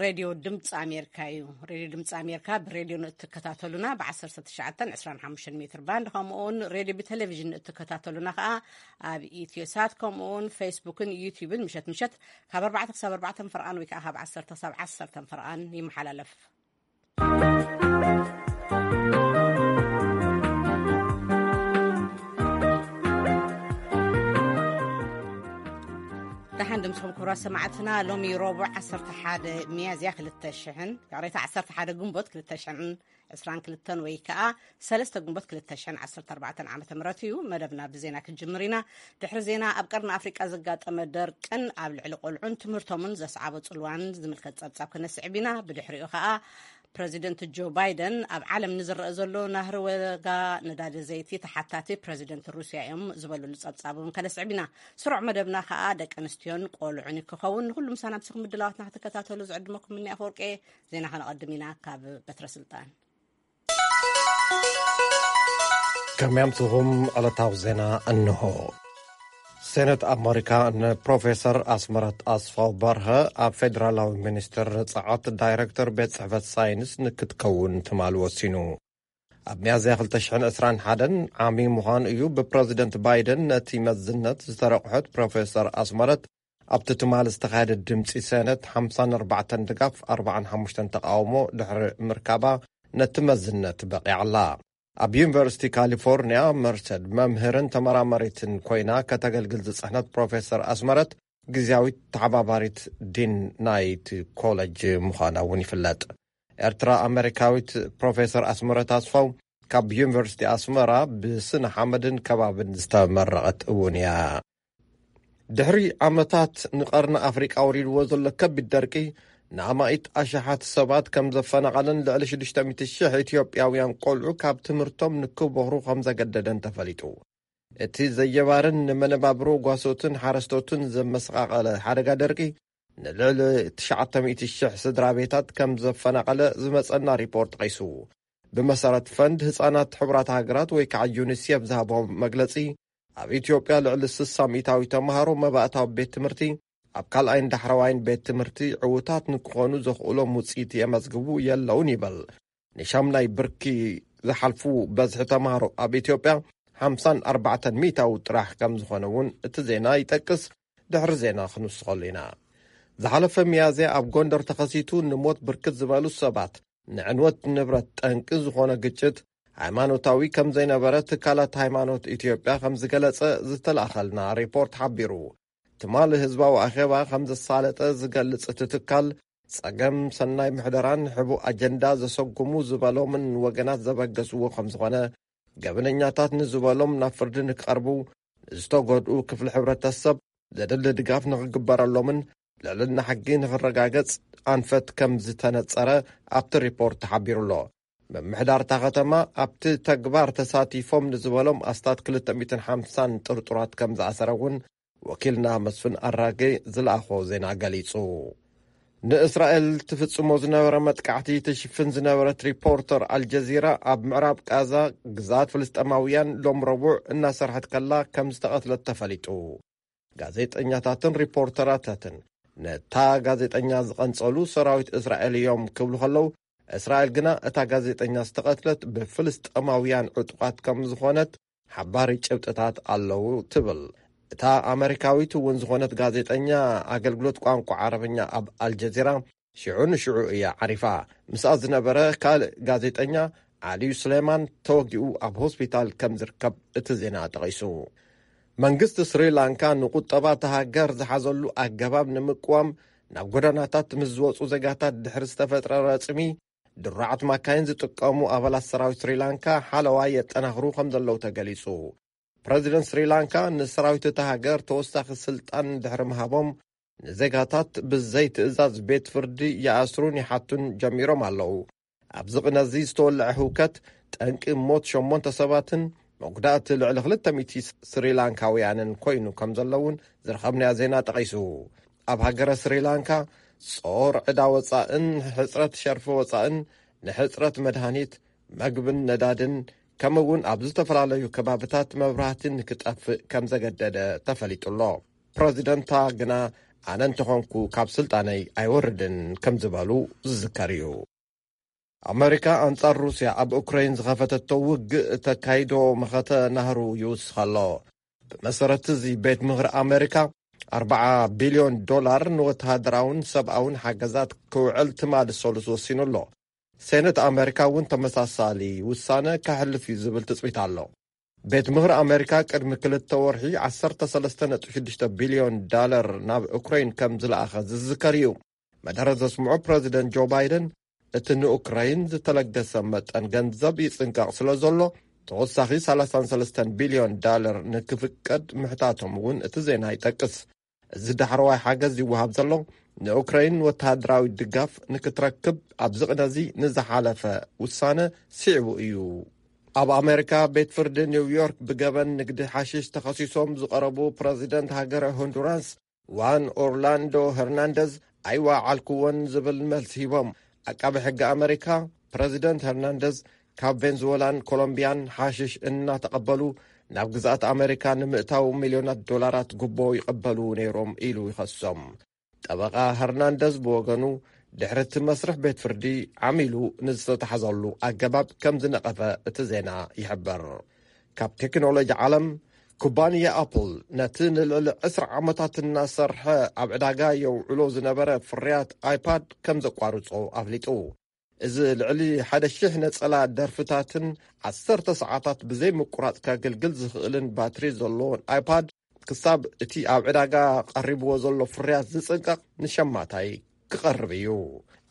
ሬድዮ ድምፂ ኣሜሪካ እዩ። ሬድዮ ድምፂ ኣሜሪካ ብሬድዮ ንእትከታተሉና ብ ዓሰርተ ትሽዓተ ዕስራን ሓሙሽተን ሜትር ባንድ፣ ከምኡ እውን ሬድዮ ብቴሌቪዥን ንእትከታተሉና ከዓ ኣብ ኢትዮሳት፣ ከምኡ እውን ፌስቡክን ዩቲዩብን ምሸት ምሸት ካብ ኣርባዕተ ክሳብ ኣርባዕተ ፈርቓን ወይ ከዓ ካብ ዓሰርተ ክሳብ ዓሰርተ ፈርቓን ይመሓላለፍ። ደሓን ድምስኹም ክቡራት ሰማዕትና። ሎሚ ረቡዕ ዓሰርተ ሓደ ሚያዝያ ክልተ ሽሕን፣ ይቕሬታ፣ ዓሰርተ ሓደ ግንቦት ክልተ ሽሕን ዕስራን ክልተን ወይ ከዓ ሰለስተ ግንቦት ክልተ ሽሕን ዓሰርተ ኣርባዕተን ዓመተ ምህረት እዩ። መደብና ብዜና ክንጅምር ኢና። ድሕሪ ዜና፣ ኣብ ቀርኒ ኣፍሪቃ ዘጋጠመ ደርቅን ኣብ ልዕሊ ቆልዑን ትምህርቶምን ዘስዓቦ ጽልዋን ዝምልከት ጸብጻብ ክነስዕብ ኢና። ብድሕሪኡ ከዓ ፕረዚደንት ጆ ባይደን ኣብ ዓለም ንዝረአ ዘሎ ናህሪ ዋጋ ነዳዲ ዘይቲ ተሓታቲ ፕረዚደንት ሩስያ እዮም ዝበሉሉ ጸብጻብ እውን ከነስዕብ ኢና። ስሩዕ መደብና ከዓ ደቂ ኣንስትዮን ቆልዑን ክኸውን። ንኩሉ ምሳና ምስኹም ምድላዋትና ክትከታተሉ ዝዕድመኩም ምኒ ኣፈወርቄ። ዜና ከነቐድም ኢና ካብ በትረ ስልጣን። ከመይ ኣምስኹም? ዕለታዊ ዜና እንሆ። ሴነት ኣመሪካ ንፕሮፌሰር ኣስመረት ኣስፋው በርሀ ኣብ ፌዴራላዊ ሚኒስቴር ጸዓት ዳይሬክተር ቤት ጽሕፈት ሳይንስ ንክትከውን ትማል ወሲኑ። ኣብ ሚያዝያ ክልተ ሽሕን ዕስራን ሓደን ዓሚ ምዃኑ እዩ ብፕረዚደንት ባይደን ነቲ መዝነት ዝተረቑሐት ፕሮፌሰር ኣስመረት ኣብቲ ትማል ዝተኻየደ ድምፂ ሴነት ሓምሳን ኣርባዕተን ድጋፍ ኣርባዓን ሓሙሽተን ተቃውሞ ድሕሪ ምርካባ ነቲ መዝነት በቂዓላ። ኣብ ዩኒቨርሲቲ ካሊፎርኒያ መርሰድ መምህርን ተመራማሪትን ኮይና ከተገልግል ዝጸሕነት ፕሮፌሰር ኣስመረት ግዝያዊት ተሓባባሪት ዲን ናይቲ ኮለጅ ምዃና እውን ይፍለጥ። ኤርትራ ኣመሪካዊት ፕሮፌሰር ኣስመረት ኣስፋው ካብ ዩኒቨርሲቲ ኣስመራ ብስነ ሓመድን ከባብን ዝተመረቐት እውን እያ። ድሕሪ ዓመታት ንቐርኒ ኣፍሪቃ ወሪድዎ ዘሎ ከቢድ ደርቂ፣ ንኣማኢት ኣሽሓት ሰባት ከም ዘፈናቐለን ልዕሊ ሽዱሽተ ሚእቲ ሽሕ ኢትዮጵያውያን ቆልዑ ካብ ትምህርቶም ንክቦኽሩ ከም ዘገደደን ተፈሊጡ። እቲ ዘየባርን ንመነባብሮ ጓሶትን ሓረስቶትን ዘመሰቓቐለ ሓደጋ ደርቂ፣ ንልዕሊ ትሽዓተ ሚእቲ ሽሕ ስድራ ቤታት ከም ዘፈናቐለ ዝመጸና ሪፖርት ጠቒሱ። ብመሰረት ፈንድ ህጻናት ሕቡራት ሃገራት ወይ ከዓ ዩኒሴፍ ዝሃቦ መግለጺ፣ ኣብ ኢትዮጵያ ልዕሊ ስሳ ሚእታዊ ተምሃሮ መባእታዊ ቤት ትምህርቲ፣ ኣብ ካልኣይን ዳሕረዋይን ቤት ትምህርቲ ዕዉታት ንክኾኑ ዘኽእሎም ውጽኢት የመዝግቡ የለውን ይበል። ንሻምናይ ብርኪ ዝሓልፉ በዝሒ ተምሃሮ ኣብ ኢትዮጵያ ሓምሳን ኣርባዕተን ሚእታዊ ጥራሕ ከም ዝኾነ እውን እቲ ዜና ይጠቅስ። ድሕሪ ዜና ክንውስኸሉ ኢና። ዝሓለፈ ሚያዝያ ኣብ ጎንደር ተኸሲቱ ንሞት ብርክት ዝበሉ ሰባት፣ ንዕንወት ንብረት ጠንቂ ዝኾነ ግጭት፣ ሃይማኖታዊ ከም ዘይነበረ ትካላት ሃይማኖት ኢትዮጵያ ከም ዝገለጸ ዝተላእኸልና ሪፖርት ሓቢሩ። ትማሊ ህዝባዊ ኣኼባ ከም ዘሳለጠ ዝገልጽ እቲ ትካል፣ ጸገም ሰናይ ምሕደራን ሕቡእ ኣጀንዳ ዘሰጉሙ ዝበሎምን ወገናት ዘበገስዎ ከም ዝኾነ፣ ገበነኛታት ንዝበሎም ናብ ፍርዲ ንክቐርቡ፣ ንዝተጎድኡ ክፍሊ ሕብረተሰብ ዘድሊ ድጋፍ ንክግበረሎምን ልዕልና ሕጊ ንክረጋገጽ ኣንፈት ከም ዝተነጸረ ኣብቲ ሪፖርት ተሓቢሩ ኣሎ። ምምሕዳር እታ ከተማ ኣብቲ ተግባር ተሳቲፎም ንዝበሎም ኣስታት ክልተ ሚእትን ሓምሳን ጥርጡራት ከም ዝኣሰረ እውን ወኪልና መስፍን ኣራጌ ዝለኣኾ ዜና ገሊጹ። ንእስራኤል ትፍጽሞ ዝነበረ መጥቃዕቲ ትሽፍን ዝነበረት ሪፖርተር ኣልጀዚራ ኣብ ምዕራብ ቃዛ ግዛት ፍልስጤማውያን ሎም ረቡዕ እናሰርሐት ከላ ከም ዝተቐትለት ተፈሊጡ። ጋዜጠኛታትን ሪፖርተራታትን ነታ ጋዜጠኛ ዝቐንጸሉ ሰራዊት እስራኤል እዮም ክብሉ ከለዉ፣ እስራኤል ግና እታ ጋዜጠኛ ዝተቐትለት ብፍልስጤማውያን ዕጡቓት ከም ዝኾነት ሓባሪ ጭብጥታት ኣለዉ ትብል። እታ ኣመሪካዊት እውን ዝኾነት ጋዜጠኛ ኣገልግሎት ቋንቋ ዓረብኛ ኣብ ኣልጀዚራ ሽዑ ንሽዑ እያ ዓሪፋ። ምስኣ ዝነበረ ካልእ ጋዜጠኛ ዓሊዩ ስሌማን ተወጊኡ ኣብ ሆስፒታል ከም ዝርከብ እቲ ዜና ጠቒሱ። መንግስቲ ስሪላንካ ንቁጠባ እታ ሃገር ዝሓዘሉ ኣገባብ ንምቅዋም ናብ ጎደናታት ምስ ዝወጹ ዜጋታት ድሕሪ ዝተፈጥረ ረጽሚ፣ ድሩዓት ማካይን ዝጥቀሙ ኣባላት ሰራዊት ስሪላንካ ሓለዋ የጠናኽሩ ከም ዘለዉ ተገሊጹ። ፕረዚደንት ስሪላንካ ንሰራዊት እታ ሃገር ተወሳኺ ስልጣን ድሕሪ ምሃቦም፣ ንዜጋታት ብዘይ ትእዛዝ ቤት ፍርዲ ይኣስሩን ይሓቱን ጀሚሮም ኣለዉ። ኣብዚ ቅነ እዚ ዝተወልዐ ህውከት ጠንቂ ሞት ሸሞንተ ሰባትን መጉዳእቲ ልዕሊ ክልተ ሚእቲ ስሪላንካውያንን ኮይኑ ከም ዘሎ እውን ዝረኸብናዮ ዜና ጠቒሱ። ኣብ ሃገረ ስሪላንካ ጾር ዕዳ ወጻእን ሕጽረት ሸርፊ ወጻእን ንሕጽረት መድሃኒት፣ መግብን ነዳድን ከምኡ እውን ኣብ ዝተፈላለዩ ከባብታት መብራህቲ ንክጠፍእ ከም ዘገደደ ተፈሊጡ ኣሎ። ፕረዚደንታ ግና ኣነ እንተኾንኩ ካብ ስልጣነይ ኣይወርድን ከም ዝበሉ ዝዝከር እዩ። ኣመሪካ ኣንጻር ሩስያ ኣብ ኡክራይን ዝኸፈተቶ ውግእ እተካይዶ መኸተ ናህሩ ይውስኽ ኣሎ። ብመሰረት እዚ ቤት ምኽሪ ኣመሪካ ኣርባዓ ቢልዮን ዶላር ንወተሃደራውን ሰብኣውን ሓገዛት ክውዕል ትማሊ ሰሉስ ወሲኑ ኣሎ። ሴነት ኣመሪካ እውን ተመሳሳሊ ውሳነ ከሕልፍ እዩ ዝብል ትጽቢት ኣሎ። ቤት ምኽሪ ኣመሪካ ቅድሚ ክልተ ወርሒ ዓሰርተ ሰለስተ ነጥቢ ሽዱሽተ ቢልዮን ዳለር ናብ ኡክራይን ከም ዝለኣኸ ዝዝከር እዩ። መደረ ዘስምዑ ፕረዚደንት ጆ ባይደን እቲ ንኡክራይን ዝተለገሰ መጠን ገንዘብ ይጽንቀቕ ስለ ዘሎ ተወሳኺ ሰላሳን ሰለስተን ቢልዮን ዳለር ንክፍቀድ ምሕታቶም እውን እቲ ዜና ይጠቅስ። እዚ ዳሕረዋይ ሓገዝ ይወሃብ ዘሎ ንኡክራይን ወተሃደራዊ ድጋፍ ንክትረክብ ኣብዚ ቅነዚ ንዝሓለፈ ውሳነ ስዒቡ እዩ። ኣብ ኣሜሪካ ቤት ፍርዲ ኒውዮርክ ብገበን ንግዲ ሓሽሽ ተኸሲሶም ዝቐረቡ ፕረዚደንት ሃገረ ሆንዱራስ ዋን ኦርላንዶ ሄርናንደዝ ኣይወዓልክዎን ዝብል መልሲ ሂቦም። ዓቃቢ ሕጊ ኣመሪካ ፕረዚደንት ሄርናንደዝ ካብ ቬንዙዌላን ኮሎምቢያን ሓሽሽ እናተቐበሉ ናብ ግዝኣት ኣመሪካ ንምእታው ሚልዮናት ዶላራት ጉቦ ይቐበሉ ነይሮም ኢሉ ይኸሶም። ጠበቓ ሄርናንደዝ ብወገኑ ድሕሪ እቲ መስርሕ ቤት ፍርዲ ዓሚሉ ንዝተታሕዘሉ ኣገባብ ከም ዝነቐፈ እቲ ዜና ይሕብር። ካብ ቴክኖሎጂ ዓለም ኩባንያ ኣፕል ነቲ ንልዕሊ ዕስራ ዓመታት እናሰርሐ ኣብ ዕዳጋ የውዕሎ ዝነበረ ፍርያት ኣይፓድ ከም ዘቋርጾ ኣፍሊጡ። እዚ ልዕሊ ሓደ ሽሕ ነጸላ ደርፍታትን ዓሰርተ ሰዓታት ብዘይ ምቁራጽ ከገልግል ዝኽእልን ባትሪ ዘለዎን ኣይፓድ ክሳብ እቲ ኣብ ዕዳጋ ቀሪብዎ ዘሎ ፍርያት ዝጽንቀቕ ንሸማታይ ክቐርብ እዩ።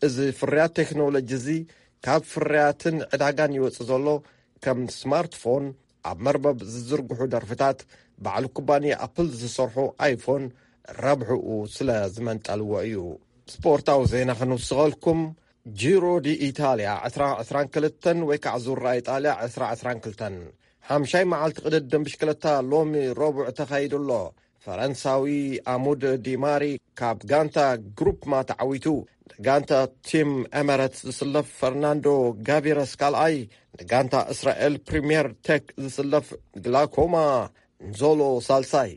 እዚ ፍርያት ቴክኖሎጂ እዚ ካብ ፍርያትን ዕዳጋን ይወጽእ ዘሎ ከም ስማርትፎን ኣብ መርበብ ዝዝርግሑ ደርፍታት ባዕሉ ኩባንያ ኣፕል ዝሰርሖ ኣይፎን ረብሕኡ ስለ ዝመንጠልዎ እዩ። ስፖርታዊ ዜና ክንውስኸልኩም ጂሮ ዲ ኢታልያ ዕስራ ዕስራን ክልተን ወይ ከዓ ዙራ ኢጣልያ ዕስራ ዕስራን ክልተን ሓምሻይ መዓልቲ ቅድድም ብሽክለታ ሎሚ ረቡዕ ተኻይዱ ኣሎ። ፈረንሳዊ ኣሙድ ዲማሪ ካብ ጋንታ ግሩፕ ማ ተዓዊቱ። ንጋንታ ቲም ኤመረትስ ዝስለፍ ፈርናንዶ ጋቪረስ ካልኣይ፣ ንጋንታ እስራኤል ፕሪምየር ቴክ ዝስለፍ ግላኮማ ንዞሎ ሳልሳይ፣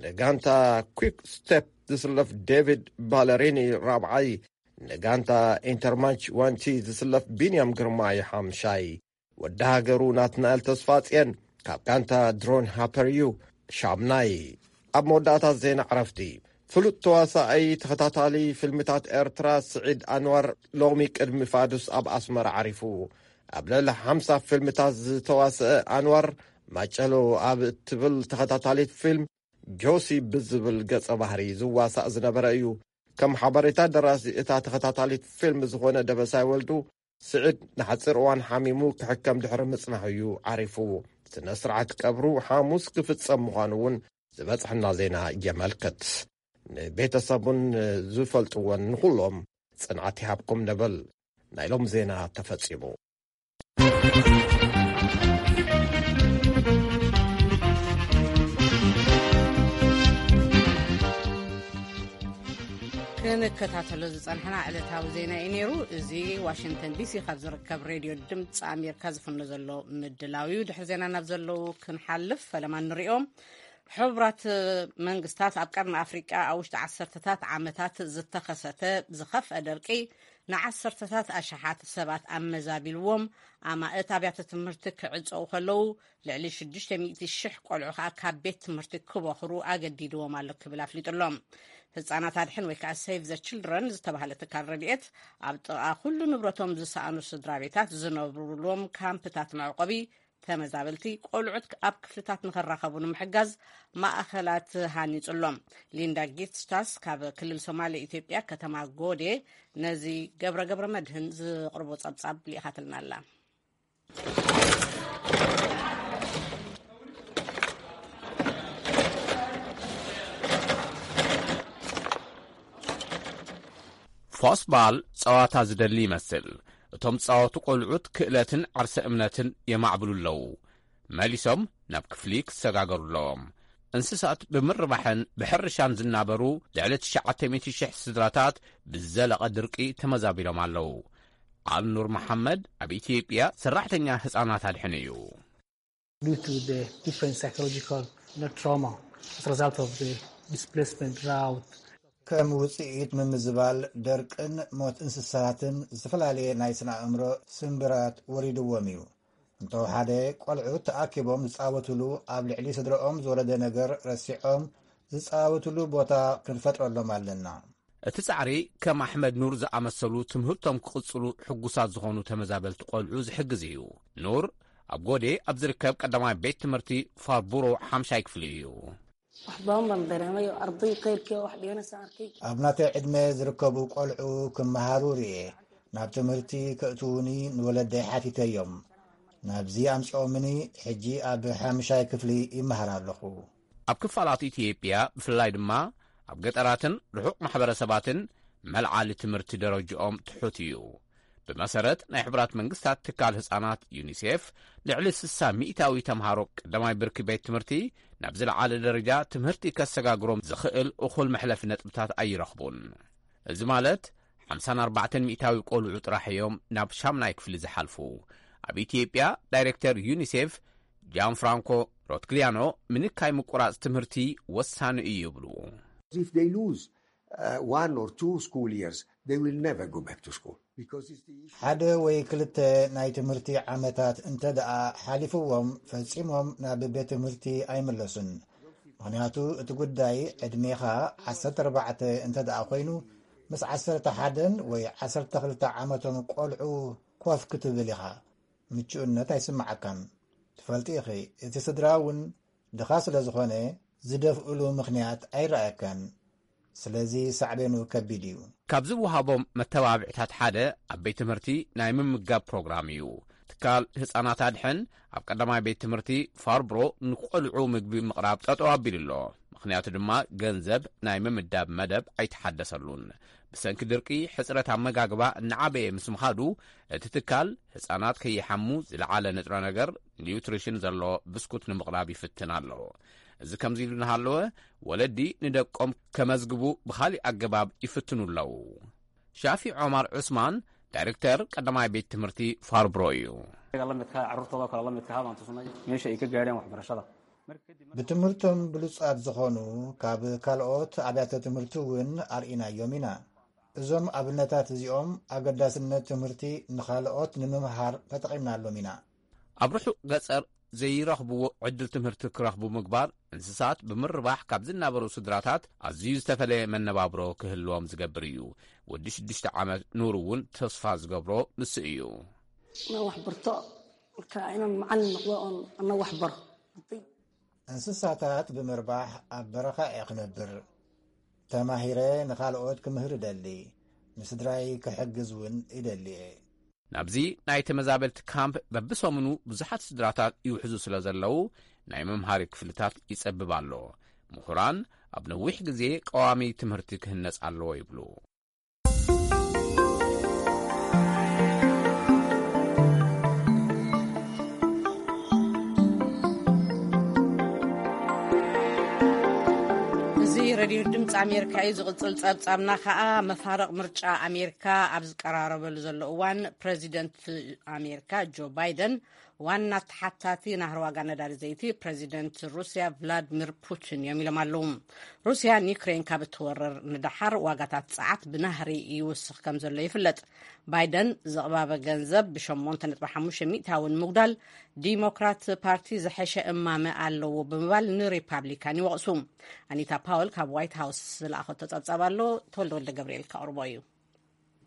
ንጋንታ ኩክ ስቴፕ ዝስለፍ ዴቪድ ባለሪኒ ራብዓይ፣ ንጋንታ ኢንተርማች ዋንቲ ዝስለፍ ቢንያም ግርማይ ሓምሻይ፣ ወዲ ሃገሩ ናትናኤል ተስፋጽየን ካብ ጋንታ ድሮን ሃፐር እዩ ሻምናይ። ኣብ መወዳእታ ዜና ዕረፍቲ፣ ፍሉጥ ተዋሳኣይ ተኸታታሊ ፊልምታት ኤርትራ ስዒድ ኣንዋር ሎሚ ቅድሚ ፋዱስ ኣብ ኣስመራ ዓሪፉ። ኣብ ልዕሊ ሓምሳ ፊልምታት ዝተዋስአ ኣንዋር ማጨሎ ኣብ እትብል ተኸታታሊት ፊልም ጆሲ ብዝብል ገጸ ባህሪ ዝዋሳእ ዝነበረ እዩ። ከም ሓበሬታ ደራሲ እታ ተኸታታሊት ፊልም ዝኾነ ደበሳይ ወልዱ፣ ስዒድ ንሓጺር እዋን ሓሚሙ ክሕከም ድሕሪ ምጽናሑ እዩ ዓሪፉ። ስነ ስርዓት ቀብሩ ሓሙስ ክፍጸም ምዃኑ እውን ዝበጽሐና ዜና የመልክት። ንቤተሰቡን ዝፈልጥዎን ንኹሎም ጽንዓት ይሃብኩም ንብል። ናይ ሎም ዜና ተፈጺሙ። ክንከታተሎ ዝጸንሕና ዕለታዊ ዜና እዩ ነይሩ። እዚ ዋሽንግተን ዲሲ ካብ ዝርከብ ሬድዮ ድምፂ ኣሜሪካ ዝፍኖ ዘሎ ምድላው እዩ። ድሕሪ ዜና ናብ ዘለዉ ክንሓልፍ ፈለማ ንሪኦም። ሕቡራት መንግስታት ኣብ ቀርኒ ኣፍሪቃ ኣብ ውሽጢ ዓሰርተታት ዓመታት ዝተኸሰተ ዝኸፍአ ደርቂ ንዓሰርተታት ኣሽሓት ሰባት ኣመዛቢልዎም፣ ኣማእት ኣብያተ ትምህርቲ ክዕጸዉ ከለዉ፣ ልዕሊ ሽዱሽተ ሚእቲ ሽሕ ቆልዑ ከኣ ካብ ቤት ትምህርቲ ክበኽሩ ኣገዲድዎም ኣሎ ክብል ኣፍሊጡ ኣሎ። ህጻናት ኣድሕን ወይ ከኣ ሴቭ ዘ ችልድረን ዝተባህለ ትካል ረድኤት፣ ኣብ ጥቓ ኩሉ ንብረቶም ዝሰኣኑ ስድራ ቤታት ዝነብሩሎም ካምፕታት መዕቆቢ ተመዛበልቲ ቆልዑት ኣብ ክፍልታት ንኸራኸቡ ንምሕጋዝ ማእኸላት ሃኒጹ ኣሎ። ሊንዳ ጊትስታስ ካብ ክልል ሶማሌ ኢትዮጵያ ከተማ ጎዴ ነዚ ገብረ ገብረ መድህን ዝቕርቦ ጸብጻብ ልኢኻትልና ኣላ። ፎስባል ጸዋታ ዝደሊ ይመስል። እቶም ጻወቱ ቆልዑት ክእለትን ዓርሰ እምነትን የማዕብሉ ኣለዉ። መሊሶም ናብ ክፍሊ ክሰጋገሩ ኣለዎም። እንስሳት ብምርባሕን ብሕርሻን ዝናበሩ ልዕሊ ትሽዓተ ሚእቲ ሽሕ ስድራታት ብዘለቐ ድርቂ ተመዛቢሎም ኣለዉ። ኣልኑር መሓመድ ኣብ ኢትዮጵያ ሰራሕተኛ ህጻናት ኣድሕን እዩ። Due to the different psychological trauma as a result of the displacement, drought, ከም ውጽኢት ምምዝባል ደርቅን ሞት እንስሳትን ዝተፈላለየ ናይ ስነ ኣእምሮ ስንብራት ወሪድዎም እዩ። እንተወሓደ ቆልዑት ተኣኪቦም ዝጻወትሉ፣ ኣብ ልዕሊ ስድረኦም ዝወረደ ነገር ረሲዖም ዝጻወትሉ ቦታ ክንፈጥረሎም ኣለና። እቲ ጻዕሪ ከም ኣሕመድ ኑር ዝኣመሰሉ ትምህርቶም ክቕጽሉ ሕጉሳት ዝኾኑ ተመዛበልቲ ቆልዑ ዝሕግዝ እዩ። ኑር ኣብ ጎዴ ኣብ ዝርከብ ቀዳማይ ቤት ትምህርቲ ፋርቡሮ ሓምሻይ ክፍሊ እዩ። Waxbadan baan dareemayo arday qayrkii wax dhiganaysa arkay. ኣብ ናተይ ዕድመ ዝርከቡ ቆልዑ ክመሃሩ ርኤ። ናብ ትምህርቲ ከእትዉኒ ንወለደይ ሓቲተዮም። ናብዚ ኣምጺኦምኒ። ሕጂ ኣብ ሓምሻይ ክፍሊ ይመሃር ኣለኹ። ኣብ ክፋላት ኢትዮጵያ ብፍላይ ድማ ኣብ ገጠራትን ርሑቕ ማሕበረሰባትን መልዓሊ ትምህርቲ ደረጅኦም ትሑት እዩ። ብመሰረት ናይ ሕቡራት መንግስታት ትካል ህጻናት ዩኒሴፍ፣ ልዕሊ ስሳ ሚእታዊ ተምሃሮ ቀዳማይ ብርኪ ቤት ትምህርቲ ናብ ዝለዓለ ደረጃ ትምህርቲ ከሰጋግሮም ዝኽእል እኹል መሕለፊ ነጥብታት ኣይረኽቡን። እዚ ማለት ሓምሳን ኣርባዕተን ሚእታዊ ቆልዑ ጥራሕ እዮም ናብ ሻምናይ ክፍሊ ዝሓልፉ። ኣብ ኢትዮጵያ ዳይሬክተር ዩኒሴፍ ጃን ፍራንኮ ሮትግሊያኖ፣ ምንካይ ምቁራጽ ትምህርቲ ወሳኒ እዩ ይብሉ። If they lose uh, one or two school years, they will never go back to school. Because it's the issue. ሓደ ወይ ክልተ ናይ ትምህርቲ ዓመታት እንተ ደኣ ሓሊፍዎም፣ ፈጺሞም ናብ ቤት ትምህርቲ ኣይምለሱን። ምኽንያቱ እቲ ጉዳይ ዕድሜኻ ዓሰርተ ኣርባዕተ እንተ ደኣ ኮይኑ፣ ምስ ዓሰርተ ሓደን ወይ ዓሰርተ ክልተ ዓመቶም ቆልዑ ኮፍ ክትብል ኢኻ። ምቹእነት ኣይስምዓካን። ትፈልጢ ኢኺ፣ እቲ ስድራ እውን ድኻ ስለ ዝኾነ ዝደፍእሉ ምኽንያት ኣይረኣየካን። ስለዚ ሳዕቤኑ ከቢድ እዩ። ካብ ዝወሃቦም መተባብዕታት ሓደ ኣብ ቤት ትምህርቲ ናይ ምምጋብ ፕሮግራም እዩ። ትካል ህጻናት ኣድሕን ኣብ ቀዳማይ ቤት ትምህርቲ ፋርብሮ ንቆልዑ ምግቢ ምቕራብ ጠጠው ኣቢሉ ኣሎ። ምኽንያቱ ድማ ገንዘብ ናይ ምምዳብ መደብ ኣይተሓደሰሉን። ብሰንኪ ድርቂ ሕጽረት ኣመጋግባ እናዓበየ ምስ ምኻዱ እቲ ትካል ህጻናት ከይሓሙ ዝለዓለ ንጥረ ነገር ኒውትሪሽን ዘሎ ብስኩት ንምቕራብ ይፍትን ኣሎ። እዚ ከምዚ ኢሉ እናሃለወ ወለዲ ንደቆም ከመዝግቡ ብኻሊእ ኣገባብ ይፍትኑ ኣለዉ። ሻፊ ዖማር ዑስማን ዳይሬክተር ቀዳማይ ቤት ትምህርቲ ፋርብሮ እዩ። lamidka carruurtooda kale lamidka habaan tusnay meesha ay ka gaadheen waxbarashada. ብትምህርቶም ብሉጻት ዝኾኑ ካብ ካልኦት ኣብያተ ትምህርቲ እውን ኣርኢናዮም ኢና። እዞም ኣብነታት እዚኦም ኣገዳስነት ትምህርቲ ንኻልኦት ንምምሃር ተጠቒምናሎም ኢና። ኣብ ርሑቕ ገጸር ዘይረኽብዎ ዕድል ትምህርቲ ክረኽቡ ምግባር፣ እንስሳት ብምርባሕ ካብ ዝናበሩ ስድራታት ኣዝዩ ዝተፈለየ መነባብሮ ክህልዎም ዝገብር እዩ። ወዲ ሽዱሽተ ዓመት ኑር እውን ተስፋ ዝገብሮ ንሱ እዩ። Inaan wax barto, marka inaan macallin noqdo oon ana wax baro. እንስሳታት ብምርባሕ ኣብ በረኻ እየ ክነብር። ተማሂረ ንኻልኦት ክምህር እደሊ። ንስድራይ ክሕግዝ እውን ይደሊ እየ። ናብዚ ናይ ተመዛበልቲ ካምፕ በብሰሙኑ ብዙሓት ስድራታት ይውሕዙ ስለ ዘለዉ፣ ናይ መምሃሪ ክፍልታት ይጸብብ ኣሎ። ምሁራን ኣብ ነዊሕ ግዜ ቀዋሚ ትምህርቲ ክህነጽ ኣለዎ ይብሉ። እዚ ሬድዮ ድምፂ ኣሜሪካ እዩ። ዝቕፅል ፀብፃብና ከዓ መፋርቕ ምርጫ ኣሜሪካ ኣብ ዝቀራረበሉ ዘሎ እዋን ፕሬዚደንት ኣሜሪካ ጆ ባይደን ዋና ተሓታቲ ናህሪ ዋጋ ነዳዲ ዘይቲ ፕሬዚደንት ሩስያ ቭላድሚር ፑቲን እዮም ኢሎም ኣለዉ። ሩስያ ንዩክሬን ካብ እትወርር ንደሓር ዋጋታት ጸዓት ብናህሪ ይውስኽ ከም ዘሎ ይፍለጥ። ባይደን ዘቕባበ ገንዘብ ብሸሞንተ ነጥቢ ሓሙሽተ ሚእታዊ ንምጉዳል ዲሞክራት ፓርቲ ዝሐሸ እማመ ኣለዎ ብምባል ንሪፓብሊካን ይወቕሱ። ኣኒታ ፓወል ካብ ዋይት ሃውስ ዝለኣኸቶ ጸብጻብ ኣሎ። ተወልደ ወልደ ገብርኤል ከቕርቦ እዩ።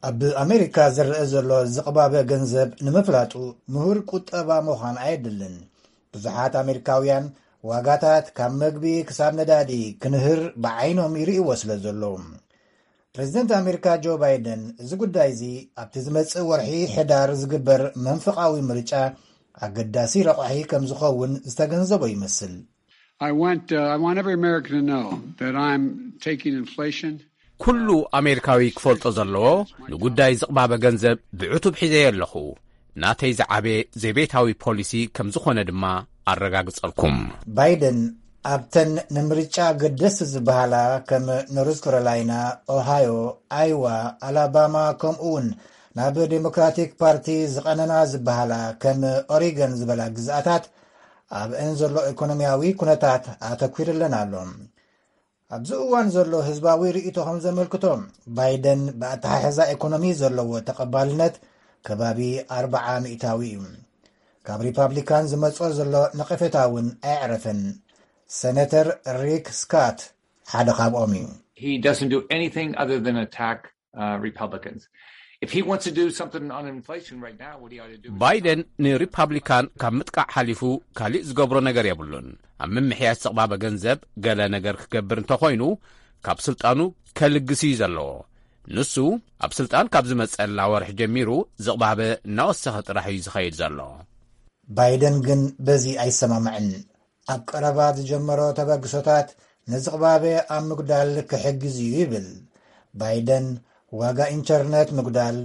ኣብ ኣሜሪካ ዝረአ ዘሎ ዝቕባበ ገንዘብ ንምፍላጡ ምሁር ቁጠባ ምዃን ኣየድልን። ብዙሓት ኣሜሪካውያን ዋጋታት ካብ መግቢ ክሳብ ነዳዲ ክንህር ብዓይኖም ይርእይዎ ስለ ዘለዉ። ፕሬዚደንት ኣሜሪካ ጆ ባይደን እዚ ጉዳይ እዚ ኣብቲ ዝመጽእ ወርሒ ሕዳር ዝግበር መንፈቓዊ ምርጫ ኣገዳሲ ረቋሒ ከም ዝኸውን ዝተገንዘቦ ይመስል። I want, uh, I want every American to know that I'm taking inflation. ኩሉ ኣሜሪካዊ ክፈልጦ ዘለዎ ንጉዳይ ዝቕባበ ገንዘብ ብዕቱብ ሒዘዮ ኣለኹ። ናተይ ዝዓበየ ዘቤታዊ ፖሊሲ ከም ዝኾነ ድማ ኣረጋግጸልኩም። ባይደን ኣብተን ንምርጫ ገደስቲ ዝበሃላ ከም ኖርዝ ካሮላይና፣ ኦሃዮ፣ ኣይዋ፣ ኣላባማ ከምኡ እውን ናብ ዴሞክራቲክ ፓርቲ ዝቐነና ዝበሃላ ከም ኦሪገን ዝበላ ግዝኣታት ኣብአን ዘሎ ኢኮኖሚያዊ ኩነታት ኣተኲርለን ኣሎ። ኣብዚ እዋን ዘሎ ህዝባዊ ርእይቶ ከም ዘመልክቶ፣ ባይደን ብኣተሓሕዛ ኢኮኖሚ ዘለዎ ተቐባልነት ከባቢ ኣርብዓ ሚእታዊ እዩ። ካብ ሪፓብሊካን ዝመጾ ዘሎ ነቐፌታ እውን ኣየዕረፈን። ሰነተር ሪክ ስካት ሓደ ካብኦም እዩ። He doesn't do anything other than attack uh, Republicans. If he wants to do something on inflation right now, what he ought to do is ባይደን ንሪፓብሊካን ካብ ምጥቃዕ ሓሊፉ ካሊእ ዝገብሮ ነገር የብሉን። ኣብ ምምሕያሽ ዝቕባበ ገንዘብ ገለ ነገር ክገብር እንተኾይኑ፣ ካብ ስልጣኑ ከልግስ እዩ ዘለዎ። ንሱ ኣብ ስልጣን ካብ ዝመጸላ ወርሒ ጀሚሩ ዝቕባበ እናወሰኸ ጥራሕ እዩ ዝኸይድ ዘሎ። ባይደን ግን በዚ ኣይሰማማዕን። ኣብ ቀረባ ዝጀመሮ ተበግሶታት ንዝቕባበ ኣብ ምጉዳል ክሕግዝ እዩ ይብል። ባይደን ዋጋ ኢንተርነት ምጉዳል፣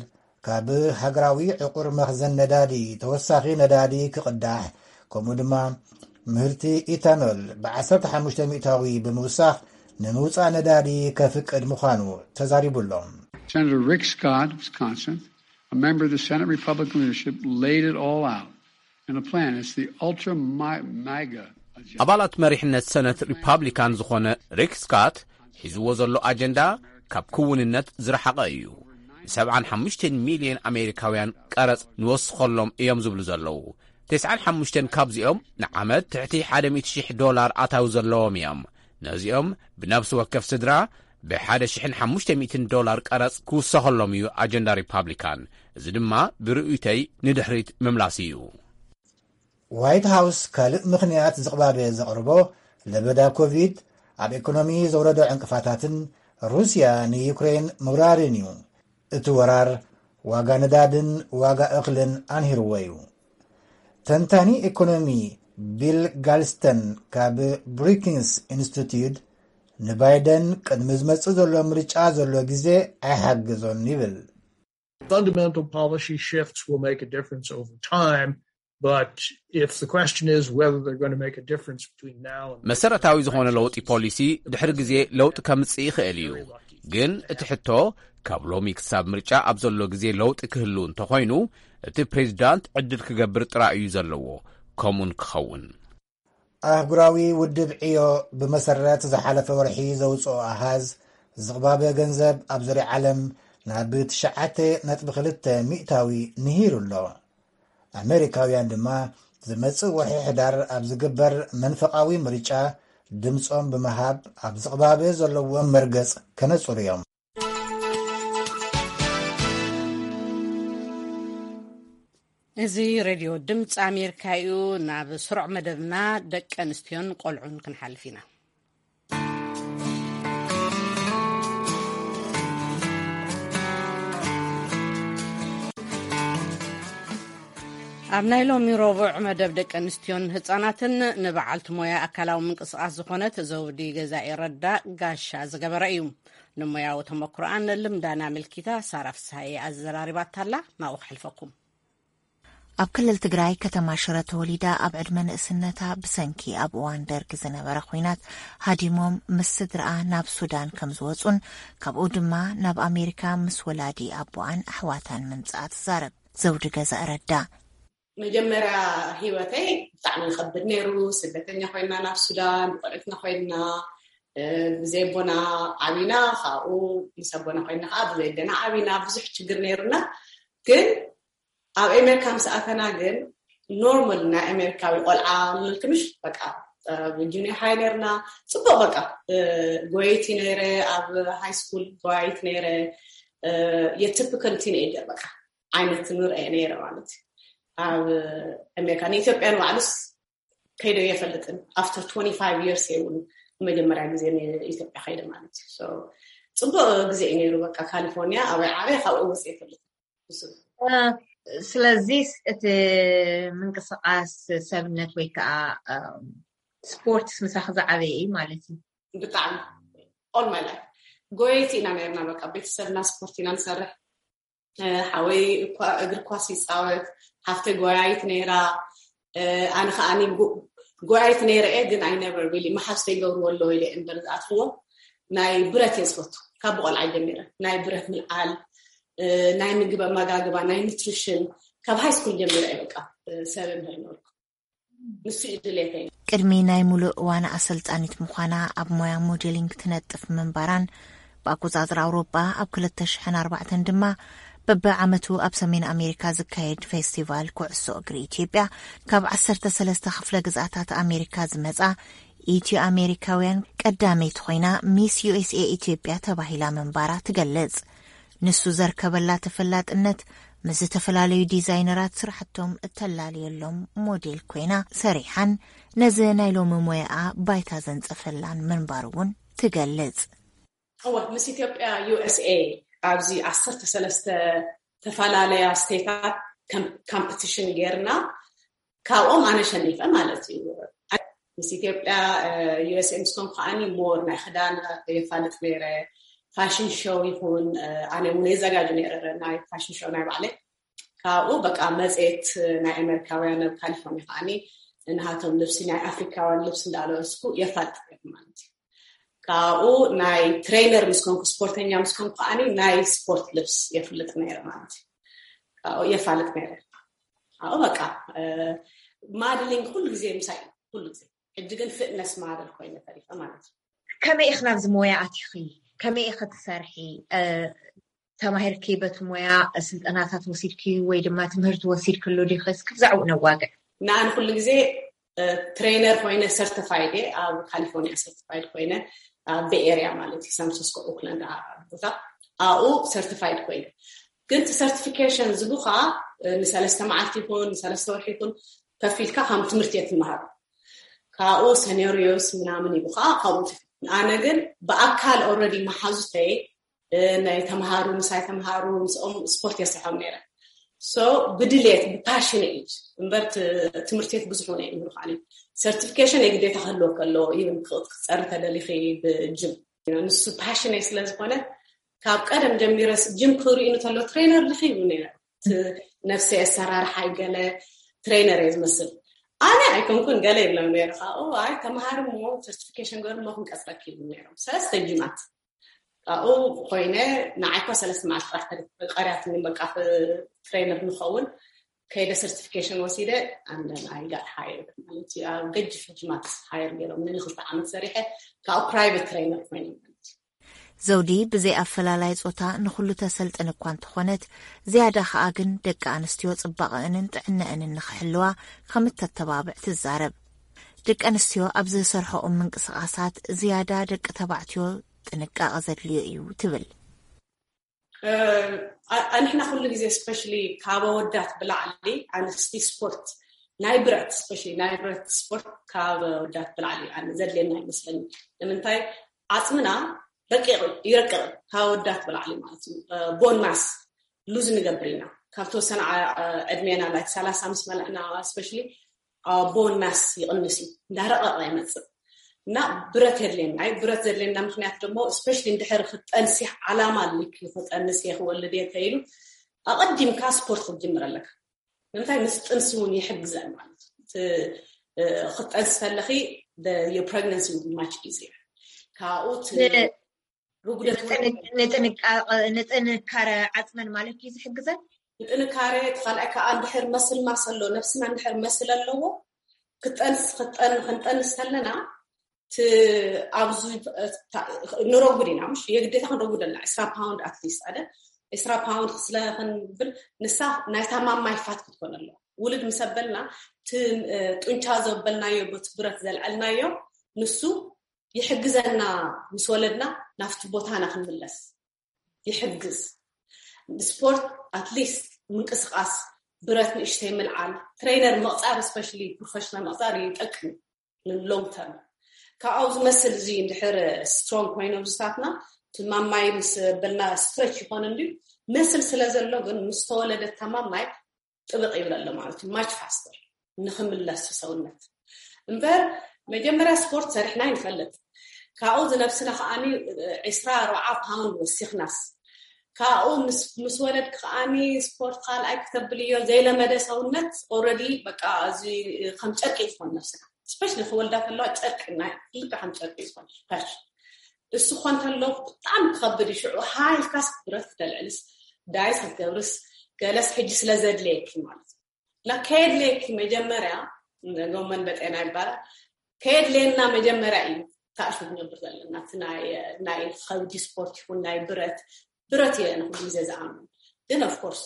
ካብ ሃገራዊ ዕቑር መኽዘን ነዳዲ ተወሳኺ ነዳዲ ክቕዳሕ፣ ከምኡ ድማ ምህርቲ ኢታኖል ብ15 ሚእታዊ ብምውሳኽ ንምውፃእ ነዳዲ ከፍቅድ ምዃኑ ተዛሪቡ ኣሎ። Senator Rick Scott of Wisconsin, a member of the Senate Republican leadership, laid it all out in a plan. It's the ultra MAGA agenda. ኣባላት መሪሕነት ሰነት ሪፓብሊካን ዝኾነ ሪክ ስካት ሒዝዎ ዘሎ ኣጀንዳ ካብ ክውንነት ዝረሓቐ እዩ። ን75 ሚልዮን ኣሜሪካውያን ቀረጽ ንወስኸሎም እዮም ዝብሉ ዘለዉ። ተስዓን ሓሙሽተን ካብዚኦም ንዓመት ትሕቲ ሓደ ሚእቲ ሽሕ ዶላር ኣታዊ ዘለዎም እዮም። ነዚኦም ብነፍሲ ወከፍ ስድራ ብ1500 ዶላር ቀረጽ ክውሰኸሎም እዩ ኣጀንዳ ሪፓብሊካን። እዚ ድማ ብርእይቶይ ንድሕሪት ምምላስ እዩ። ዋይት ሃውስ ካልእ ምኽንያት ዝቕባበ ዘቕርቦ ለበዳ ኮቪድ ኣብ ኢኮኖሚ ዘውረዶ ዕንቅፋታትን ሩስያ ንዩክሬን ምውራርን እዩ። እቲ ወራር ዋጋ ነዳድን ዋጋ እኽልን ኣንሂርዎ እዩ። ተንታኒ ኢኮኖሚ ቢል ጋልስተን ካብ ብሩኪንግስ ኢንስቲትዩት ንባይደን ቅድሚ ዝመጽእ ዘሎ ምርጫ ዘሎ ግዜ ኣይሓግዞን ይብል። Fundamental policy shifts will make a difference over time, but if the question is whether they're going to make a difference between now and መሰረታዊ ዝኾነ ለውጢ ፖሊሲ ድሕሪ ግዜ ለውጢ ከምጽእ ይኽእል እዩ። ግን እቲ ሕቶ ካብ ሎሚ ክሳብ ምርጫ ኣብ ዘሎ ግዜ ለውጢ ክህሉ እንተኾይኑ፣ እቲ ፕሬዚዳንት ዕድል ክገብር ጥራይ እዩ ዘለዎ። ከምኡን ክኸውን ኣህጉራዊ ውድብ ዕዮ ብመሰረት ዝሓለፈ ወርሒ ዘውፅኦ ኣሃዝ፣ ዝቕባበ ገንዘብ ኣብ ዙርያ ዓለም ናብ ትሽዓተ ነጥቢ ክልተ ሚእታዊ ንሂሩ ኣሎ። ኣሜሪካውያን ድማ ዝመጽእ ወርሒ ሕዳር ኣብ ዝግበር መንፈቓዊ ምርጫ ድምጾም ብምሃብ ኣብ ዝቕባበ ዘለዎም መርገጽ ከነጽሩ እዮም። እዚ ሬድዮ ድምፂ ኣሜሪካ እዩ። ናብ ስሩዕ መደብና ደቂ ኣንስትዮን ቆልዑን ክንሓልፍ ኢና። ኣብ ናይ ሎሚ ረቡዕ መደብ ደቂ ኣንስትዮን ህፃናትን፣ ንበዓልቲ ሞያ ኣካላዊ ምንቅስቃስ ዝኾነት ዘውዲ ገዛኢ ረዳ ጋሻ ዝገበረ እዩ። ንሞያዊ ተመክሮኣን ልምዳን ኣመልኪታ ሳራ ፍስሃየ ኣዘራሪባታላ። ናብኡ ክሕልፈኩም። ኣብ ክልል ትግራይ ከተማ ሽረ ተወሊዳ ኣብ ዕድመ ንእስነታ ብሰንኪ ኣብ እዋን ደርጊ ዝነበረ ኹናት ሃዲሞም ምስ ስድርኣ ናብ ሱዳን ከም ዝወፁን ካብኡ ድማ ናብ ኣሜሪካ ምስ ወላዲ ኣቦኣን ኣሕዋታን ምምፅኣ ትዛረብ ዘውዲ ገዛ ረዳ። መጀመርያ ህይወተይ ብጣዕሚ ይኸብድ ነይሩ። ስደተኛ ኮይና ናብ ሱዳን ብቆልዕትና ኮይና፣ ብዘይ ኣቦና ዓቢና፣ ካብኡ ምስ ኣቦና ኮይና ከዓ ብዘይ ኣደና ዓቢና፣ ብዙሕ ችግር ነይሩና። ግን ኣብ ኣሜሪካ ምስ ኣተና ግን ኖርማል ናይ ኣሜሪካዊ ቆልዓ ንልክምሽ በቃ፣ ጁኒየር ሃይ ነርና። ፅቡቅ በቃ፣ ጎየይቲ ነይረ፣ ኣብ ሃይ ስኩል ጎያይት ነይረ። የትፕክል ቲኔጀር በቃ ዓይነት ንርአ ነይረ ማለት እዩ። ኣብ ኣሜሪካ ንኢትዮጵያ ንባዕሉስ ከይደ የፈልጥን። ኣፍተር ትወንቲ ፋይቭ የርስ የብሉ መጀመርያ ግዜ ኢትዮጵያ ከይደ ማለት እዩ። ፅቡቅ ግዜ እዩ ነይሩ። በቃ ካሊፎርኒያ ኣበይ ዓበይ ካብኡ ወፅ የፈልጥ። ስለዚ እቲ ምንቅስቃስ ሰብነት ወይ ከዓ ስፖርትስ ምሳኺ ዝዓበየ እዩ ማለት እዩ። ብጣዕሚ ኦል ማይ ላይፍ ጎየይቲ ኢና ነርና። በቃ ቤተሰብና ስፖርት ኢና ንሰርሕ። ሓወይ እግሪ ኳስ ይፃወት፣ ሓፍተይ ጎያይት ነይራ። ኣነ ከዓ ጎያይት ነይረ እየ፣ ግን ኣይ ነቨር ሪሊ መሓዝተይ ይገብርዎ ኣለዉ ኢለ እምበር ዝኣትዎ። ናይ ብረት እየ ዝፈቱ ካብ ብቆልዓ ጀሚረ። ናይ ብረት ምልዓል፣ ናይ ምግቢ ኣመጋግባ፣ ናይ ኒትሪሽን ካብ ሃይ ስኩል ጀሚረ እየ በቃ ሰብ ምህር ነበርኩ። ንሱ እዩ ድሌተይ። ቅድሚ ናይ ሙሉእ እዋን ኣሰልጣኒት ምዃና ኣብ ሞያ ሞዴሊንግ ትነጥፍ ምንባራን ብኣቆጻጽራ ኣውሮጳ ኣብ ክልተ ሽሕን ኣርባዕተን ድማ በብዓመቱ ኣብ ሰሜን ኣሜሪካ ዝካየድ ፌስቲቫል ኩዕሶ እግሪ ኢትዮጵያ ካብ ዓሰርተ ሰለስተ ክፍለ ግዝኣታት ኣሜሪካ ዝመጻ ኢትዮ ኣሜሪካውያን ቀዳመይቲ ኮይና ሚስ ዩ ኤስ ኤ ኢትዮጵያ ተባሂላ ምንባራ ትገልጽ። ንሱ ዘርከበላ ተፈላጥነት ምስ ዝተፈላለዩ ዲዛይነራት ስራሕቶም እተላልየሎም ሞዴል ኮይና ሰሪሓን ነዚ ናይ ሎሚ ሞያኣ ባይታ ዘንጸፈላን ምንባሩ እውን ትገልጽ። እወ ምስ ኢትዮጵያ ዩ ኤስ ኤ ኣብዚ ዓሰርተ ሰለስተ ተፈላለያ ስቴታት ካምፕቲሽን ጌርና ካብኦም ኣነ ሸኒፈ ማለት እዩ። ምስ ኢትዮጵያ ዩ ኤስ ኤ ምስ ኮንኩ ከዓኒ ሞር ናይ ክዳን የፋልጥ ነይረ። ፋሽን ሾው ይኹን ኣነ እውን የዘጋጁ ነይረ ናይ ፋሽን ሾው ናይ ባዕለይ። ካብኡ በቃ መፅኤት ናይ ኣሜሪካውያን ኣብ ካሊፎርኒያ ከዓኒ ንሃቶም ልብሲ ናይ ኣፍሪካውያን ልብሲ እንዳለበስኩ የፋልጥ ነይረ ማለት እዩ። ካብኡ ናይ ትሬነር ምስ ኮንኩ ስፖርተኛ ምስ ኮንኩ ከዓኒ ናይ ስፖርት ልብስ የፍልጥ ነይረ ማለት እዩ። ካብኡ የፋልጥ ነይረ። ኣብኡ በቃ ማድሊንግ ኩሉ ግዜ ምሳይ ኩሉ ግዜ። ሕጂ ግን ፍትነስ ማደል ኮይነ ተሪፈ ማለት እዩ። ከመይ ኢኺ ናብዚ ሞያ ኣቲኺ? ከመይ ኢኺ ትሰርሒ? ተማሂርኪ በቲ ሞያ ስልጠናታት ወሲድኪ ወይ ድማ ትምህርቲ ወሲድክሉ ዲኺ? እስኪ ብዛዕባኡ ነዋግዕ። ንኣን ኩሉ ግዜ ትሬነር ኮይነ ሰርቲፋይድ እየ። ኣብ ካሊፎርኒያ ሰርቲፋይድ ኮይነ ኣብ ቤይ ኤርያ ማለት እዩ ሳንፍራንሲስኮ ኦክላንድ ቦታ ኣብኡ ሰርቲፋይድ ኮይነ። ግን እቲ ሰርቲፊኬሽን ዝቡኻ ንሰለስተ መዓልቲ ይኹን ንሰለስተ ወርሒ ይኹን ከፊልካ ከም ትምህርቲ እየ ትመሃር። ካብኡ ሰኔሪዮስ ምናምን ይቡኻ ካብኡ። ኣነ ግን ብኣካል ኦልሬዲ መሓዙተይ ናይ ተምሃሩ ምሳይ ተምሃሩ ምስኦም ስፖርት የስርሖም ነይረ። ሶ ብድሌት ብፓሽን እዩ እምበር ትምህርትት ብዙሕ ነ ይምሩ ካሊ ሰርቲፊኬሽን የግዴታ ክህልወ ከለዎ ይን ክትፀሪ ተደሊኺ ብጅም ንሱ ፓሽን ስለ ዝኾነ ካብ ቀደም ጀሚረስ ጅም ክርእዩ እንተሎ ትሬነር ዲኺ ይብሉ ነይረ። ነፍሰ ኣሰራርሓ ገለ ትሬነር እየ ዝመስል ኣነ ኣይኮንኩን ገለ ይብሎም ነይረ። ካብኡ ኣይ ተምሃር ሞ ሰርቲፊኬሽን ገሩ ሞ ክንቀፅረክ ይብሉ ነይሮም ሰለስተ ጅማት ካብኡ ኮይነ ንዓይኳ ሰለስተ መዓልቲ ጥራሕ ቀርያትኒ በቃ ትሬነር ንኸውን ከይደ ሰርቲፊኬሽን ወሲደ ኣንደን ኣይ ጋት ሃየር ማለት እዩ። ኣብ ገጅፍ ጅማት ሃየር ገይሮም ንክልተ ዓመት ሰሪሐ ካብኡ ፕራይቬት ትሬነር ኮይነ ማለት እዩ። ዘውዲ ብዘይ ኣፈላላይ ጾታ ንኹሉ ተሰልጥን እኳ እንተኾነት ዝያዳ ከኣ ግን ደቂ ኣንስትዮ ጽባቐእንን ጥዕነእንን ንኽሕልዋ ከም እተተባብዕ ትዛረብ። ደቂ ኣንስትዮ ኣብ ዝሰርሖኦም ምንቅስቓሳት ዝያዳ ደቂ ተባዕትዮ ጥንቃቐ ዘድልዮ እዩ ትብል። ኣንሕና ኩሉ ግዜ ስፔሻሊ ካብ ኣወዳት ብላዕሊ ኣንስቲ ስፖርት ናይ ብረት ስፔሻሊ ናይ ብረት ስፖርት ካብ ኣወዳት ብላዕሊ ኣነ ዘድልየና ይመስለኒ። ንምንታይ ዓፅምና ረቂቕ ይረቅቕ ካብ ኣወዳት ብላዕሊ ማለት እዩ። ቦን ማስ ሉዝ ንገብር ኢና ካብ ተወሰነ ዕድሜና ላይክ ሰላሳ ምስ መለዕና ስፔሻሊ ቦን ማስ ይቕንስ እዩ እንዳረቐቐ ይመፅእ እና ብረት የድልየና እዩ። ብረት ዘድልየና ምክንያት ደሞ ስፔሻሊ እንድሕር ክጠንሲ ዓላማ ኣልክ ክጠንስ እየ ክወልድ እየ ተይሉ ኣቐዲምካ ስፖርት ክትጅምር ኣለካ። ንምንታይ ምስ ጥንሲ እውን ይሕግዘን ማለት ክትጠንሲ ከለኺ ፕሬግነንሲ ማች ኢዚ ካብኡ ንጥንካረ ዓፅመን ማለት እዩ ዝሕግዘን። ንጥንካረ እቲ ካልኣይ ከዓ እንድሕር መስል ማስ ኣሎ ነብስና እንድሕር መስል ኣለዎ ክጠንስ ክንጠንስ ከለና ኣብዚ ንረጉድ ኢና ምሽ የግዴታ ክንረጉድ ኣለና ዕስራ ፓውንድ ኣትሊስት ኣደ ዕስራ ፓውንድ ስለ ክንብል ንሳ ናይታ ማማይ ፋት ክትኮን ኣለዋ። ውልድ ምስ ኣበልና እቲ ጡንቻ ዘበልናዮ ቦቲ ብረት ዘልዐልናዮ ንሱ ይሕግዘና ምስ ወለድና ናብቲ ቦታና ክንምለስ ይሕግዝ። ስፖርት ኣትሊስት ምንቅስቃስ ብረት ንእሽተይ ምልዓል ትሬነር ምቕፃር ስፔሻሊ ፕሮፌሽናል ምቕፃር ይጠቅም። ሎንግ ተርም ካብኣው ዝመስል እዚ እንድሕር ስትሮንግ ኮይኖም ዝሳትና ትማማይ ምስ በልና ስትረች ይኾን እንዲ መስል ስለ ዘሎ ግን ምስ ተወለደ ተማማይ ጥብቕ ይብለ ኣሎ ማለት እዩ ማች ፋስተር ንክምለስ ሰውነት እምበር መጀመርያ ስፖርት ሰሪሕና ይንፈልጥ ካብኡ ዝነብስና ከዓኒ ዕስራ ኣርባዓ ፓውንድ ወሲኽናስ ካብኡ ምስ ወለድክ ከዓኒ ስፖርት ካልኣይ ክተብልዮ ዘይለመደ ሰውነት ኦረዲ በቃ እዚ ከም ጨርቂ ዝኾን ነብስና ስፔሻሊ ክወልዳ ከለዋ ጨርቂ ናይ ክልተ ከም ጨርቂ ዝኾን ፐርሽ እሱ ኮ እንተሎ ብጣዕሚ ክኸብድ እዩ ሽዑ ሃይልካስ ብረት ክተልዕልስ ዳይስ ክትገብርስ ገለስ ሕጂ ስለ ዘድለየኪ ማለት እዩ እና ከየድለየኪ መጀመርያ ጎመን በጤና ይባላል። ከየድልየና መጀመርያ እዩ ታእሹ ክነብር ዘለና። እቲ ናይ ናይ ከብዲ ስፖርት ይኹን ናይ ብረት፣ ብረት እየ ንኩሉ ግዜ ዝኣምን። ግን of course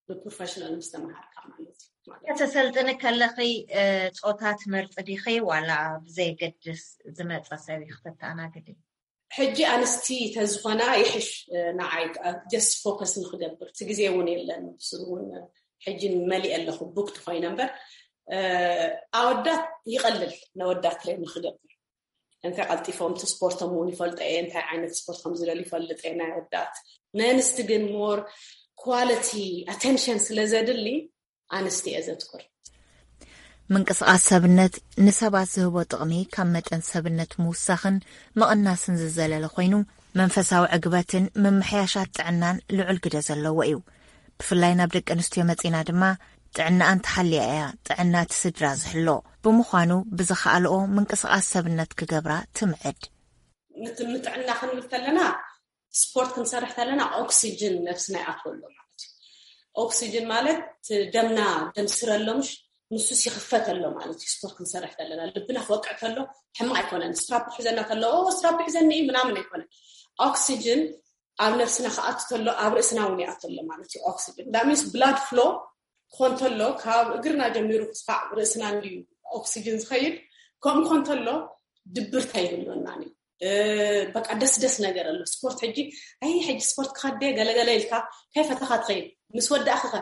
ብፕሮፌሽናል ምስ ተመሃርካ ማለት እዩ። ማለት ከተሰልጥኒ ከለኺ እ፣ ጾታ ትመርፂ ዲኺ ዋላ ብዘየገድስ ዝመፀ ሰብ እዩ ክተተኣናግዲ? ሕጂ ኣንስቲ ተዝኾና ይሕሽ። እ፣ ንዓይ just ፎከስ ንክገብር እቲ ግዜ እውን የለን። እሱ እውን ሕጂ መሊእ ኣለኹ፣ ቡክድ ኮይነ እምበር እ፣ ኣወዳት ይቐልል ነወዳት ትሬን ንክገብር። እንታይ ቀልጢፎም እቲ ስፖርቶም እውን ይፈልጦ እየ፣ እንታይ ዓይነት ስፖርት ከም ዝደል ይፈልጥ እየ ናይ ወዳት። ነንስቲ ግን ሞር ኳሊቲ ኣቴንሽን ስለ ዘድሊ ኣንስቲ እየ ዘትኩር። ምንቅስቃስ ሰብነት ንሰባት ዝህቦ ጥቕሚ ካብ መጠን ሰብነት ምውሳኽን ምቕናስን ዝዘለለ ኮይኑ፣ መንፈሳዊ ዕግበትን ምምሕያሻት ጥዕናን ልዑል ግደ ዘለዎ እዩ። ብፍላይ ናብ ደቂ ኣንስትዮ መጺና ድማ ጥዕናኣን ተሓልያ እያ ጥዕና እቲ ስድራ ዝሕሎ። ብምዃኑ ብዝኸኣልኦ ምንቅስቃስ ሰብነት ክገብራ ትምዕድ። ምት- ንጥዕና ክንብል ከለና፣ ስፖርት ክንሰርሕ ከለና ኦክሲጅን ነብስና ይኣትወሎ ማለት እዩ። ኦክሲጅን ማለት ደምና፣ ደም ስረ ኣሎ ምሽ፣ ንሱስ ይኽፈት ኣሎ ማለት እዩ። ስፖርት ክንሰርሕ ከለና ልብና ክወቅዕ ከሎ ሕማቅ ኣይኮነን። ስትራፕ ሒዘና ከሎ ኦ ስትራፕ ሒዘኒ እዩ ምናምን ኣይኮነን። ኦክሲጅን ኣብ ነብስና ክኣቱ ከሎ ኣብ ርእስና እውን ይኣቱ ኣሎ ማለት እዩ። ኦክሲጅን that means blood flow ክኾን ከሎ ካብ እግርና ጀሚሩ ክስፋዕ ርእስና እንድዩ ኦክሲጅን ዝኸይድ። ከምኡ ክኾን ከሎ ድብርት ኣይህልወናን እዩ። እ፣ በቃ ደስ ደስ ነገር ኣሎ። ስፖርት ሕጂ፣ ኣይ ሕጂ ስፖርት ክኸደ ገለገለ ኢልካ ከይፈተኻ ትኸይድ። ምስ ወዳእኺ ከ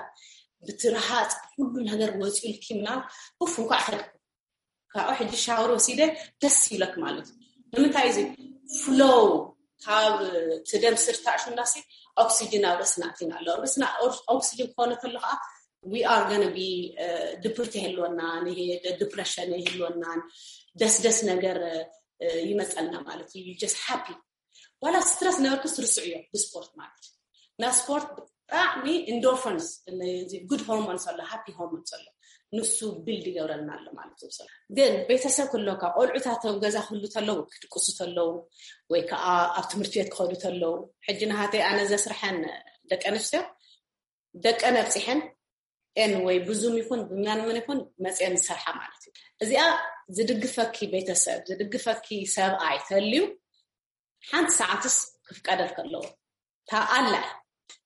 ብትርሃፅ ኩሉ ነገር ወፂኡልኪ ምናምን ኡፍ እንኳዕ ከድኩ ካብኡ ሕጂ ሻወር ወሲደ ደስ ይብለክ ማለት እዩ። ንምንታይ እዚ ፍሎው ካብ እቲ ደም ስር ታእሹ እንዳሲ ኦክሲጅን ኣብ ርእስና ኣቲና ኣሎ። ርእስና ኦክሲጅን ክኾነ ከሎ ከዓ we are gonna be ድብርት የህልወናን፣ ይሄ ዲፕሬሽን የህልወናን፣ ደስደስ ነገር ይመፀልና ማለት እዩ። Just happy ዋላ ስትረስ ነበርክስ ርስዕዮ ብስፖርት ማለት እዩ። ናብ ስፖርት ብጣዕሚ ኢንዶርፈንስ፣ ጉድ ሆርሞንስ ኣሎ፣ ሃፒ ሆርሞንስ ኣሎ፣ ንሱ ቢልድ ይገብረልና ኣሎ ማለት እዩ። ግን ቤተሰብ ክህልወካ፣ ቆልዑታት ኣብ ገዛ ክህሉ ተለዉ፣ ክድቅሱ ተለዉ፣ ወይ ከዓ ኣብ ትምህርቲ ቤት ክኸዱ ተለዉ፣ ሕጂ ናሃተይ ኣነ ዘስርሐን ደቂ ኣንስትዮ ደቀን ኣብፂሐን ኤን ወይ ብዙም ይኹን ብመንምን ይኹን መፅየን ዝሰርሓ ማለት እዩ። እዚኣ ዝድግፈኪ ቤተሰብ፣ ዝድግፈኪ ሰብኣይ ተልዩ ሓንቲ ሰዓትስ ክፍቀደል ከለዎ። እታ ኣላ፣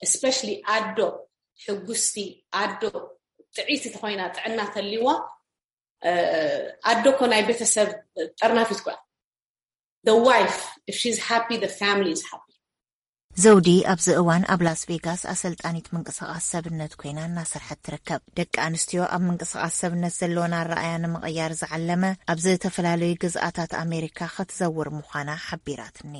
እስፔሻሊ ኣዶ፣ ሕጉስቲ ኣዶ፣ ጥዕይቲ ተኾይና፣ ጥዕና ተልዋ፣ ኣዶ እኮ ናይ ቤተሰብ ጠርናፊት እኮ እያ። The wife, if she's happy, the family is happy. ዘውዲ ኣብዚ እዋን ኣብ ላስ ቬጋስ ኣሰልጣኒት ምንቅስቃስ ሰብነት ኮይና እናሰርሐት ትርከብ። ደቂ ኣንስትዮ ኣብ ምንቅስቃስ ሰብነት ዘለወን ኣረኣያ ንምቕያር ዝዓለመ ኣብ ዝተፈላለዩ ግዝኣታት ኣሜሪካ ክትዘውር ምዃና ሓቢራትኒ።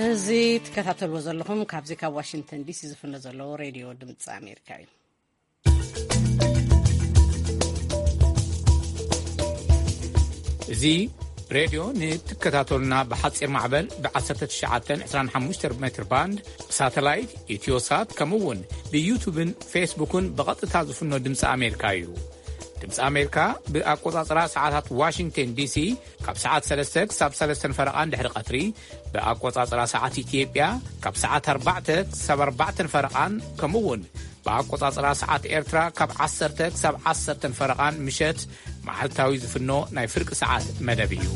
እዚ ትከታተልዎ ዘለኹም ካብዚ ካብ ዋሽንግተን ዲሲ ዝፍኖ ዘሎ ሬድዮ ድምፂ ኣሜሪካ እዩ። እዚ ሬድዮ ንትከታተሉና ብሓፂር ማዕበል ብ19 25 ሜትር ባንድ፣ ብሳተላይት፣ ኢትዮሳት፣ ከምኡ እውን ብዩቱብን ፌስቡክን ብቐጥታ ዝፍኖ ድምፂ ኣሜሪካ እዩ። ድምፂ ኣሜሪካ ብኣቆፃፅራ ሰዓታት ዋሽንግተን ዲሲ ካብ ሰዓት ሰለስተ ክሳብ ሰለስተን ፈረቓን ድሕሪ ቀትሪ፣ ብኣቆፃፅራ ሰዓት ኢትዮጵያ ካብ ሰዓት ኣርባዕተ ክሳብ ኣርባዕተን ፈረቓን፣ ከምኡ እውን ብኣቆፃፅራ ሰዓት ኤርትራ ካብ ዓሰርተ ክሳብ ዓሰርተን ፈረቓን ምሸት መዓልታዊ ዝፍኖ ናይ ፍርቂ ሰዓት መደብ እዩ።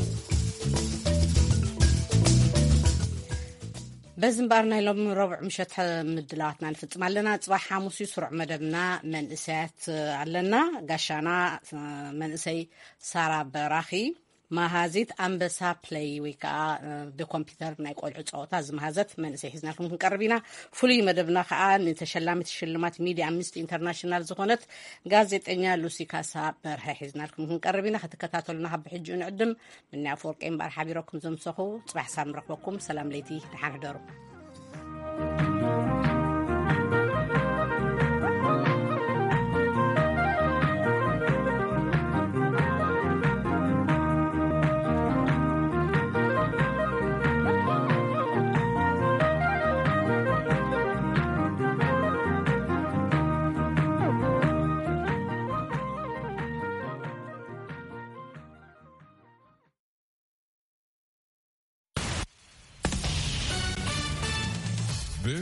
በዚ እምበኣር ናይ ሎም ረቡዕ ምሸት ምድላዋትና ንፍጽም ኣለና። ጽባሕ ሓሙስ እዩ፣ ስሩዕ መደብና መንእሰያት ኣለና። ጋሻና መንእሰይ ሳራ በራኺ፣ መሃዚት ኣንበሳ ፕለይ ወይ ከዓ ብኮምፒውተር ናይ ቆልዑ ጸወታ ዝመሃዘት መንእሰይ ሒዝናልኩም ክንቀርብ ኢና። ፍሉይ መደብና ከዓ ንተሸላሚት ሽልማት ሚድያ ኣምነስቲ ኢንተርናሽናል ዝኾነት ጋዜጠኛ ሉሲ ካሳ በርሀ ሒዝናልኩም ክንቀርብ ኢና። ክትከታተሉና ካብ ብሕጂኡ ንዕድም። ምንያ ኣፈወርቂ እምበኣር ሓቢረኩም ዘምሰኹ። ጽባሕ ሳብ ንረኽበኩም። ሰላም ለይቲ፣ ደሓን ሕደሩ።